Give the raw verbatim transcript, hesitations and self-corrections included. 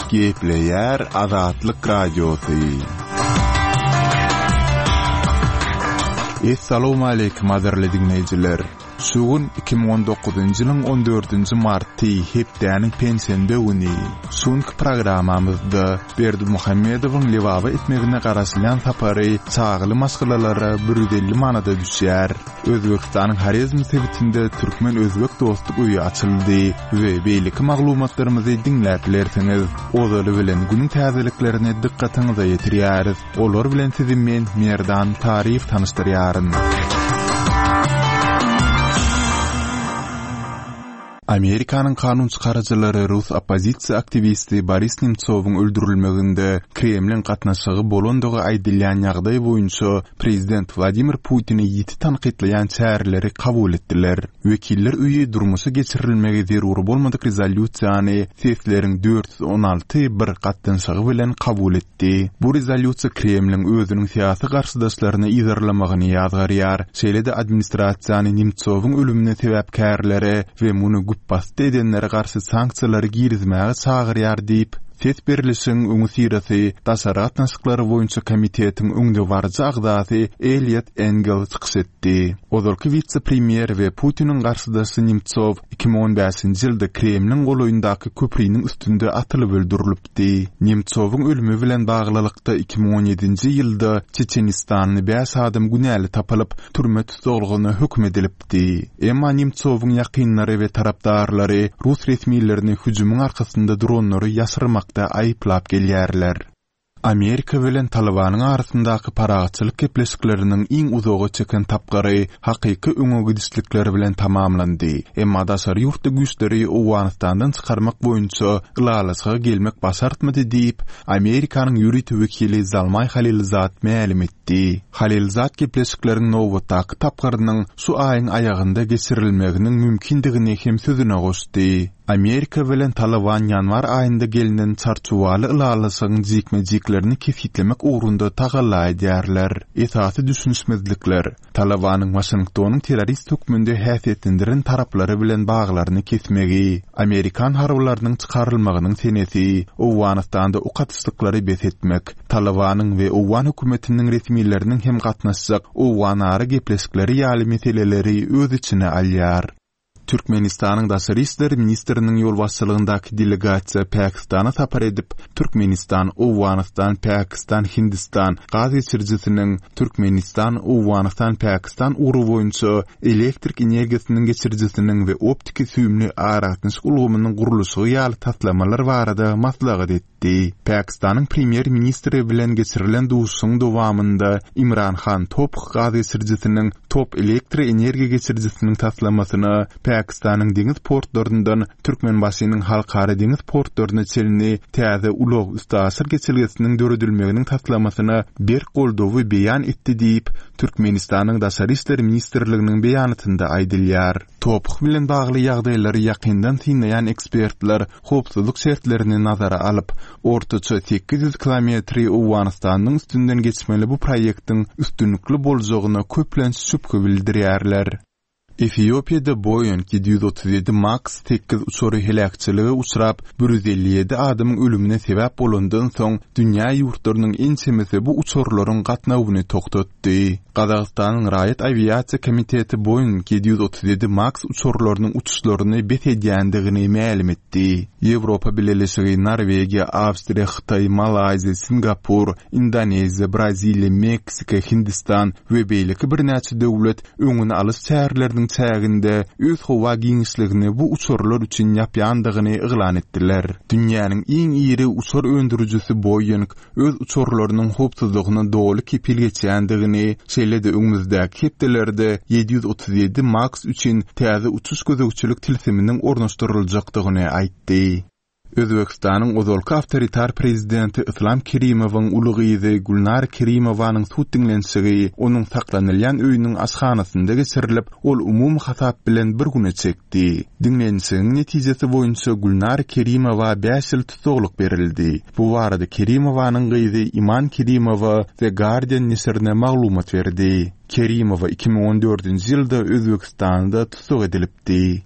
Gepleýär Azatlyk Radiosy. Essalawmaleýkim gadyrly diňleýjiler! Şu gün iki müň on dokuzynjy ýylyň on dördünji marty, hepdäniň penşenbe güni. Şu günki programmamyzda Berdimuhamedowyň Lebaba etmegine garaşylýan sapary çagaly maşgalalara bir ýüz elli manada düşýär. Özbegistanyň Horezm sebitinde Türkmen-özbek dostluk öýi açyldy we beýleki maglumatlarymyzy diňläp bilersiňiz. Ozaly bilen günüň täzeliklerini dykgatyňyza ýetirýäris. Olar bilen sizi men, Merdan Taryýew tanyşdyrýaryn. Amerikanyň kanun çykaryjylary rus oppozisiýa aktiwisti Boris Nemtsowyň öldürilmeginde Kremliň gatnaşygy bolandygy aýdylýan ýagdaý boýunça prezident Wladimir Putini ýiti tankytlaýan çäreleri kabul etdiler. Wekiller öýi durmuşa geçirilmegi zerur bolmadyk rezolýusiýany sesleriň dört ýüz on alty bir gatnaşygy bilen kabul etdi. Bu rezolýusiýa Kremliň özüniň syýasy garşydaşlaryny yzarlamagyny ýazgarýar, şeýle-de administrasiýany Nemtsowyň ölümine sebäpkärlere we muny güpbasdy edenlere garşy sanksiýalary girizmäge çagyrýar diýip, ses berlişigiň öňüsyrasy Daşary gatnaşyklary boýunça komitetiň öňdebaryjy agzasy Eliot Engel çykyş etdi. Ozalky wise-premýer we Putiniň garşydaşy Nemtsow iki müň on bäşinji ýylda Kremliň golaýyndaky köpriniň üstünde atylyp öldürilipdi. Nemtsowyň ölümi bilen baglylykda iki müň on ýedinji ýylda Çeçenistanly bäş adam günäli tapylyp, türme tussaglygyna höküm edilipdi. Emma Nemtsowyň ýakynlary we tarapdarlary rus resmilerini hüjümiň arkasynda duranlary ýaşyrmakda aýyplap gelýärler. Amerika bilen Talybanyň arasyndaky parahatçylyk gepleşikleriniň iň uzaga çeken tapgyry hakyky öňe gidişlikler bilen tamamlandy. Emma daşary ýurtly güýçleri Owganystandan çykarmak boýunça ylalaşyga gelmek başartmady diýip, Amerikanyň ýörite wekili Zalmaý Halilzad mälim etdi. Halilzad gepleşikleriň nobatdaky tapgyrynyň şu aýyň aýagynda geçirilmeginiň mümkindigini hem sözüne goşdy. Amerika bilen Talyban ýanwar aýynda gelnen çarçuwaly ylalaşygyň jikme-jiklerini kesgitlemek ugrunda tagalla edýärler. Esasy düşünişmezlikler Talybanyň Waşingtonyň terrorist hökmünde häsiýetlendiren taraplary bilen baglaryny kesmegi, Amerikan harbylarynyň çykarylmagynyň senesi, Owganystanda ok atyşlyklary bes etmek, Talybanyň we Owgan hökümetiniň resmileriniň hem gatnaşjak Owganara gepleşikleri ýaly meseleleri öz içine alýar. Türkmenistanyň Daşary işler ministriniň ýolbaşçylygyndaky delegasiýa Pakistana sapar edip, Türkmenistan, Owganystan, Pakistan, Hindistan gaz geçirijisiniň Türkmenistan, Owganystan, Pakistan ugry boýunça elektrik energiýasynyň geçirijisiniň we optiki süýümli aragatnaşyk ulgamynyň gurluşygy ýaly taslamalar barada maslahat etdi. Pakistanyň premýer-ministri bilen geçirilen duşuşygyň dowamynda Imran Han Top gaz geçirijisiniň Top elektroenergiýa geçirijisiniň taslamasyna Pakistanyň deňiz portlaryndan Türkmenbaşynyň halkara deňiz portlaryna çenli täze ulag üstaşyr geçelgesiniň döredilmeginiň taslamasyna berk goldawy beýan etdi diýip, Türkmenistanyň Daşary işler ministrliginiň beýanatynda aýdylýar. Top bilen bagly ýagdaýlary ýakyndan synlaýan ekspertler howpsuzlyk şertlerini nazara alyp, ortaça sekiz ýüz kilometri Owganystanyň üstünden geçmeli bu proýektiň üstünlikli boljagyna köplenç şübhe bildirýärler. Efiopiýada Boeing ýedi ýüz otuz ýedi Max sekiz uçary heläkçilige uçrap, bir ýüz elli ýedi adamyň ölümine sebäp bolandan soň dünýä ýurtlarynyň ençemesi bu uçarlaryň gatnawyny togtatdy. Gazagystanyň Raýat awiasiýa komiteti Boeing ýedi ýüz otuz ýedi Max uçarlarynyň uçuşlaryny bes edýändigini mälim etdi. Ýewropa Bileleşigi, Norwegiýa, Awstriýa, Hytaý, Malaýziýa, Singapur, Indoneziýa, Braziliýa, Meksika, Hindistan we beýleki birnäçe döwlet öňüni alyş çäreleriniň çäginde öz howa giňişligini bu uçarlar üçin ýapýandygyny yglan etdiler. Dünýäniň iň iri uçar öndürijisi Boeing öz uçarlarynyň howpsuzlygyna doly kepil geçýändigini, şeýle-de öňümizdäki hepdelerde ýedi ýüz otuz ýedi Max üçin täze uçuş gözegçilik tilsiminiň ornaşdyryljakdygyny aýtdy. Özbekistanyň ozalky awtoritar prezidenti Islam Kerimowyň uly gyzy Gülnar Kerimowanyň sud diňlenişigi onuň saklanylýan öýüniň aşhanasynda geçirilip, ol umumy hasap bilen bir güne çekdi. Diňlenişigiň netijesi boýunça Gülnar Kerimowa bäş ýyl tussaglyk berildi. Bu barada Kerimowanyň gyzy Iman Kerimowa The Guardian neşirine maglumat berdi. Kerimowa iki müň on dördünji ýylda Özbekistanda tussag edilipdi.